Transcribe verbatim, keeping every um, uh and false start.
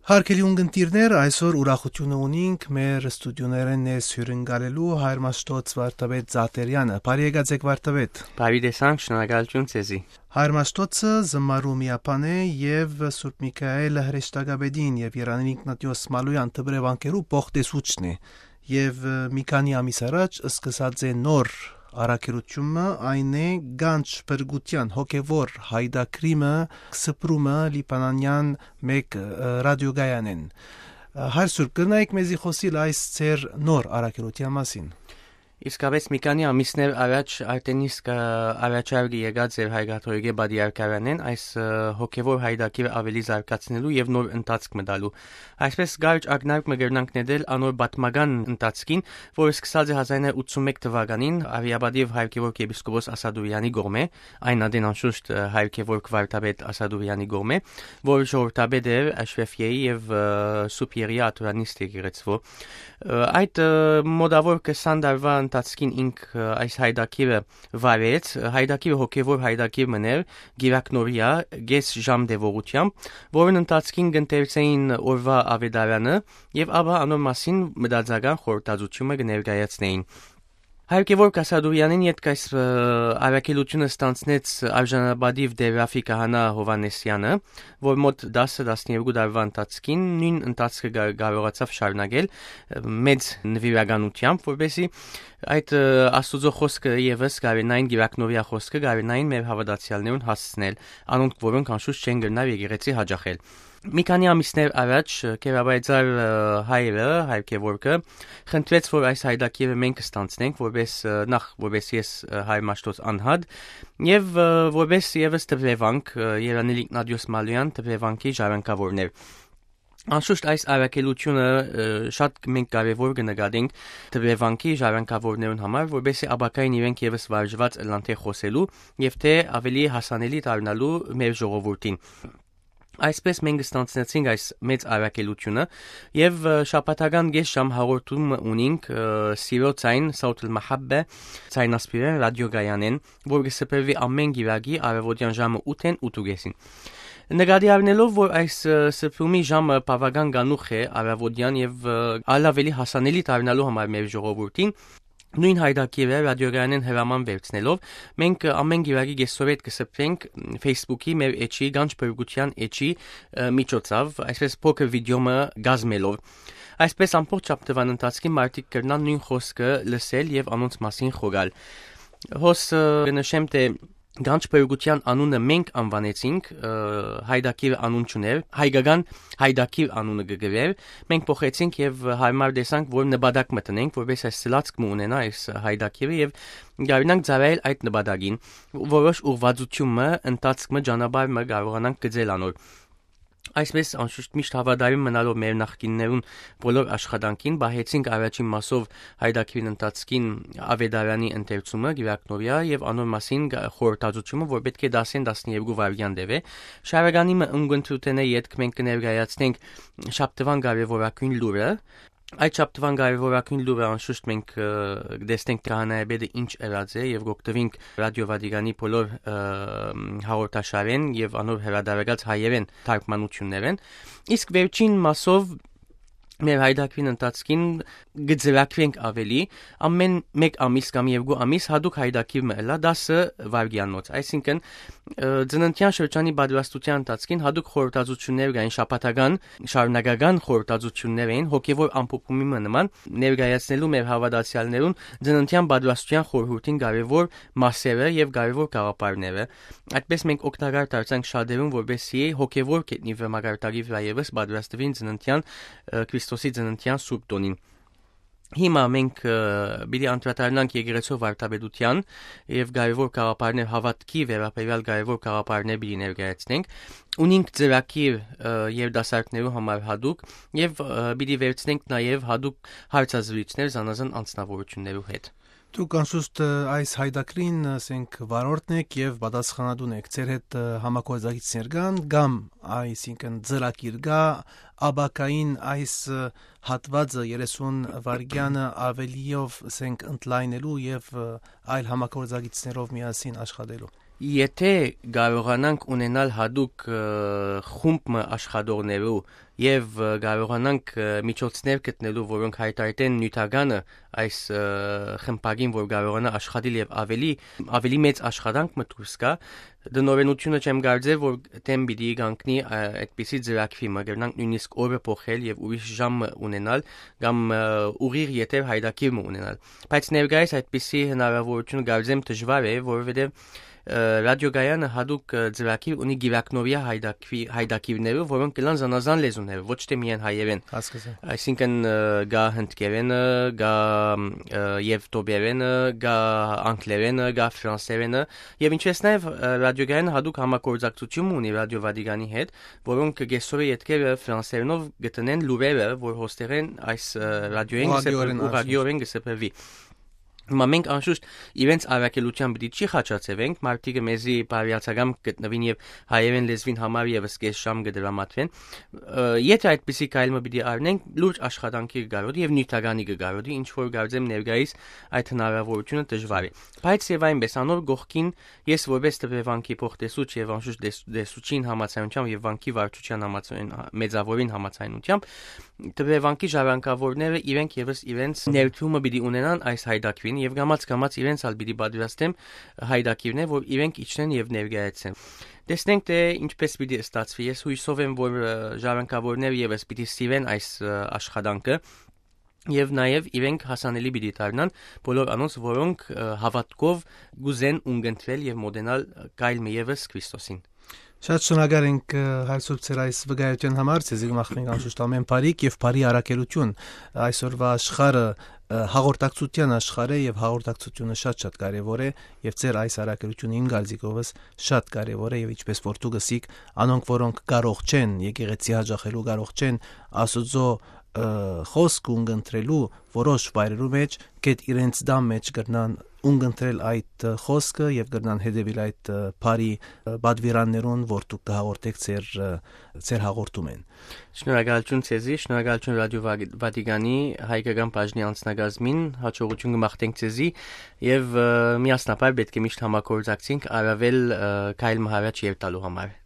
Հարգելի ունգընտիրներ, այսօր ուրախութիւնը ունինք մեր ստուդիոներէն ներս հիւրընկալելու հայր Մաշտոց Վարդապետ Զատերեանը։ Բարի եկած եք, Վարդապետ։ Բարի տեսանք, շնորհակալութիւն ձեզի։ Հայր Մաշտոցը զմարու միաբան է եւ Սուրբ Միքայել հրեշտակապետին եւ Երանին Իգնատիոս Մալոյան դպրեվանքերու փոխտեսուչն է, եւ, ը, մի քանի ամիս առաջ սկսած է նոր առաքելութիւնը, այն է Գանչ Փրկութեան հոգեվոր հայդակրիմը, սփռումը Լիբանանեան մէկ, ը, ռադիոկայանէն։ Ը, Հայր Սուրբ, կրնայիք մեզի խօսիլ այս ձեր նոր առաքելութեան մասին։ Իսկապէս, մի քանի ամիսներ առաջ արդեն իսկ, ը, առաջարկը եկած էր Հայ Կաթողիկէ Պատրիարքարանէն այս, ը, հոգեվոր հայդակիրը աւելի զարգացնելու եւ նոր ընթացք մը տալու։ Այսպէս կարճ ակնարկ մը կրնանք նետել անոր պատմական ընթացքին, որը սկսած է հազար նոյ հարիւր ութսունմեկ թուականին արիապատիւ հայր Գեորգ եպիսկոպոս Ասադուրեանի կողմէ, այն ատեն անշուշտ, ը, հայր Գեորգ վարդապետ Ասադուրեանի կողմէ, որ ժողովրդապետ էր Աշրեֆիեի եւ, ը, Սուրբ Եղիա Աթորանիստ եկեղեցւոյ։ Ը, այդ, ը, մօտաւոր քսան տարուայ ընթացքին ինք, ը, այս հայդակիրը վարեց, ը, հայդակիրը հոգեվոր հայդակիր մըն էր, գիրակնորիա, կէս ժամ տեւողութեամբ, որուն ընթացքին կ'ընթերցէին օրուայ աւետարանը եւ ապա անոր մասին մտածական խորհրդածութիւնը կը ներկայացնէին։ Հայր Գեորգ Ասադուրեանին ետք այս, ը, առաքելութիւնը ստանձնեց արժանապատիւ Տէր Ռաֆի քահանայ Յովհաննիսեանը, որ մօտ տասը, տասներկու տարուայ ընթացքին նոյն ընթացքը կա-, կարողացաւ շարունակել, ը, մեծ նուիրականութեամբ, որպէսզի այդ, ը, Աստուծոյ խօսքը եւս կարենային, գիրակնորիա խօսքը կարենային մեր հաւատացեալներուն հասցնել, անոնք որոնք անշուշտ չեն կրնար եկեղեցի յաճախել։ Մի քանի ամիսներ առաջ, ը, Քերաբայձար, ը, հայրը, հայր Գեորգը, խնդրեց, որ այս հայդակիրը մենք կստանձնենք, որպես, ը, նախ որպես ես, ը, հայր Մաշտոց անհատ, եւ, ը, որպես եւս դպրեվանք, ը, Երանիլ Իգնատիոս Մալոյան դպրեվանքի ժառանգաւորներ։ Անշուշտ այս առաքելութիւնը, ը, շատ մենք կարեւոր կը նկատենք դպրեվանքի ժառանգաւորներուն համար, որպեսզի ապագային իրենք եւս վարժուած ըլլան թէ խօսելու եւ թէ աւելի հասանելի դառնալու մեր ժողովուրդին։ Այսպէս մենք ստանձնեցինք այս մեծ առաքելութիւնը եւ, ը, շաբաթական կէս ժամ հաղորդում ունինք, ը, Սիրո Ձայն, Սաութ Մահաբբե, ձայնասփիւռէն ռադիոկայանէն, որ կը սփռուի ամէն գիրակի առավոտեան ժամը ութ-էն ութ ու կէսին։ Նկատի առնելով, որ այս, ը, սփռումի ժամը բաւական կանուխ է առավոտեան եւ, ը, ալ աւելի հասանելի դառնալու համար մեր ժողովուրդին, նոյն հայդակիրը ռադիոկայանէն հրաման վերցնելով, մենք, ը, ամէն գիրակի կէսօրետ կը սփռենք Facebook-ի մեր էջի, Գանչ Փրկութեան էջի, ը, միջոցաւ, այսպէս փոքր վիդեոյ մը կազմելով։ Այսպէս ամբողջ շաբթուան ընթացքին մարդիկ կրնան նոյն խօսքը լսել եւ անոնց մասին խորհալ։ Հոս, ը, կը նշեմ թէ Գանչ Փրկութեան անունը մենք անուանեցինք, ը, հայդակիրը անուն չունէր, հայկական հայդակիր անունը կը գրէր, մենք փոխեցինք եւ յարմար տեսանք, որ նպատակ մը տնենք, որպէս այս սլացք մը ունենայ այս հայդակիրը եւ կարենանք ծառայել այդ նպատակին, որոշ ուղղվածութիւն մը, ընթացք մը, ճանապարհ մը կարողանանք գծել անոր։ Այսպէս, անշուշտ, միշտ հաւատարիմ մնալով մեր նախկիններուն բոլոր աշխատանքին, պահեցինք առաջին մասով հայդակիրին ընթացքին աւետարանի ընթերցումը, գիրակնորիա եւ անոր մասին գա-, խորհրդածութիւնը, որ պէտք է տասին, տասներկու վայրկեան տեւէ։ Շարականի մը ունգընտրութենէ ետք մենք կը ներկայացնենք շաբթուան կարեւորագույն լուրը։ Այդ շաբթուան կարեւորագույն լուրը, անշուշտ, մենք, ը, կտեսնենք քահանայապետը ինչ ըրած է եւ կօգտուինք Ռադիո Վատիկանի բոլոր, ը, հաղորդաշարէն եւ անոր հրատարակած հայերէն թարգմանութիւններէն։ Իսկ վերջին մասով մեր հայդակիրին ընթացքին կը ծրագրենք աւելի, ամէն մէկ ամիս կամ երկու ամիս յատուկ հայդակիր մը ըլլայ, տասը վայրկեանոց, այսինքն, ը, ծննդեան շրջանի պատրաստութեան ընթացքին յատուկ խորհրդածութիւններ կային շաբաթական, շարունակական խորհրդածութիւններ էին հոգեվոր ամփոփումի մը նման, ներկայացնելու մեր հաւատացեալներուն ծննդեան պատրաստութեան խորհուրդին կարեւոր մասերը եւ կարեւոր գաղափարները։ Այդպէս մենք օգտակար դարձանք շատերուն, որպեսզի հոգեվոր գետնի մակարդակի վրայ եւս պատրաստուին ծննդեան, ը, Քրիստոսի ծննդեան Սուրբ Տօնին։ Հիմա մենք, ը, պիտի անդրադառնանք եկեղեցու վարդապետութեան եւ կարեւոր գաղափարներ, հաւատքի վերաբերեալ կարեւոր գաղափարներ պիտի ներկայացնենք։ Ունինք ծրագիր, ը, երիտասարդներու համար յատուկ եւ, ը, պիտի վերցնենք նաեւ յատուկ հարցազրույցներ զանազան անձնավորութիւններու հետ։ Դուք անշուշտ, ը, այս հայդակիրին, ասենք, վարորդն եք եւ պատասխանատուն եք։ Ձեր հետ, ը, համագործակիցներ կան կամ, այսինքն, ծրագիր կա, ապագային այս, ը, հատուածը երեսուն վայրկեանը ավելիով, ասենք, ընդլայնելու եւ, ը, այլ համագործակիցներով միասին աշխատելու։ Եթե կարողանանք ունենալ յատուկ, ը, խումբ մը աշխատողներու եւ, ը, կարողանանք, ը, միջոցներ գտնելու, որոնք հայտարարեն նիւթականը այս, ը, խմբակին, որ կարողանայ աշխատիլ եւ ավելի, ավելի մեծ աշխատանք մը դուրս գայ, դնորենութիւնը չեմ կարծեր, որ դէմ պիտի կանգնի, ը, այդպիսի ծրագրի մը, կրնանք նոյնիսկ օրը փոխել եւ ուրիշ ժամ մը ունենալ, կամ, ը, ուղիղ եթեր յայտագիր մը ունենալ։ Բայց ներկայիս այդպիսի հնարաւորութիւնը կարծեմ դժուար է, որովհետեւ, ը, ռադիոկայանը յատուկ, ը, ծրագիր ունի գիրակնովյա յայտագի-, յայտագիրներով, որոնք կլան զանազան լեզուներով, ոչ թե միայն հայերէն։ Հասկացա։ Այսինքն, ը, գա հնդկերէնը, գա, ը, եւտոպերէնը, գա անգլերէնը, գա ֆրանսերէնը, եւ ինչպես նաեւ, ը, ռադիոկայանը յատուկ համագործակցութիւն ունի Ռադիո Վատիկանի հետ, որոնք կեսօրը ետքերը ֆրանսերենով գտնեն լուրերը, որ հոստերեն այս, ը, ռադիոյին կը սփր-, Ուղղակիորեն, անշուշտ, ուղղակիորեն կը սփռուի։ Հիմա մենք անշուշտ իրենց առաքելութեան պիտի չի խաչացեւենք, մարդիկը մեզի բարեացակամ գտնուին եւ հայերէն լեզուին համար եւս կես ժամ կը դրամատվեն։ Ը, եթե այդպիսի քայլ մը պիտի առնենք, լուրջ աշխատանքի կը կարոտի եւ նիւթականի կը կարոտի, ինչ որ կարծեմ ներկայիս այդ հնարաւորութիւնը դժուար է։ Բայց եւ այնպես անոր կողքին ես որպես Տպեվանքի փոխտեսուչ եւ անշուշտ տես-, տեսուչին համաձայնությամբ եւ վանքի վարչութեան համաձայն-, մեծաւորին համաձայնությամբ, Տպեվանքի ժառանգաւորները իրենք եւս իրենց ներդրումը պիտի ունենան այս յայտագիրին եւ կամաց-կամաց իրենց ալ պիտի պատրաստեմ յայտագիրներ, որ իրենք իջնեն եւ ներկայացնեն։ Տեսնենք, թէ ինչպես պիտի ստացվի։ Ես յուսով եմ, որ, ը, ժառանգաւորները եւս պիտի սիրեն այս, ը, աշխատանքը եւ նաեւ իրենք հասանելի պիտի դառնան բոլոր անոնց, որոնք, ը, հաւատքով կ'ուզեն ունկնդրել եւ մոտենալ, ը, քայլ մը եւս Քրիստոսին։ Շատ շնորհակալ ենք, ը, Հայր Սուրբ, ձեր այս վկայութեան համար, ձեզի կը մաղթենք անշուշտ ամէն բարիք եւ բարի առաքելութիւն այսօրվա աշխարհը, ը, հաղորդակցութեան աշխարհ է եւ հաղորդակցութիւնը շատ-շատ կարեւոր է եւ ձեր այս առաքելութիւնը իմ կարծիքովս շատ կարեւոր է եւ ինչպես որ դուք ըսիք, անոնք, որոնք կարող չեն եկեղեցի յաճախելու, կարող չեն Աստուծոյ, ը, խօսքը ունկնդրելու որոշ վայրերու մէջ, կետ իրենց դան մէջ կրնան ունկնդրել այդ, ը, խօսքը եւ կրնան հետեւիլ այդ, ը, բարի, ը, պատուիրաններուն, որ դուք կը հաղորդէք ձեր, ը, ձեր հաղորդումէն։ Շնորհակալութիւն ձեզի, շնորհակալութիւն Ռադիո Վա-, Վատիկանի հայկական բաժնի անձնակազմին, յաջողութիւն կը մաղթենք ձեզի եւ, ը, միասնաբար պէտք է միշտ համագործակցենք առաւել, ը, քայլ մը առաջ երթալու համար։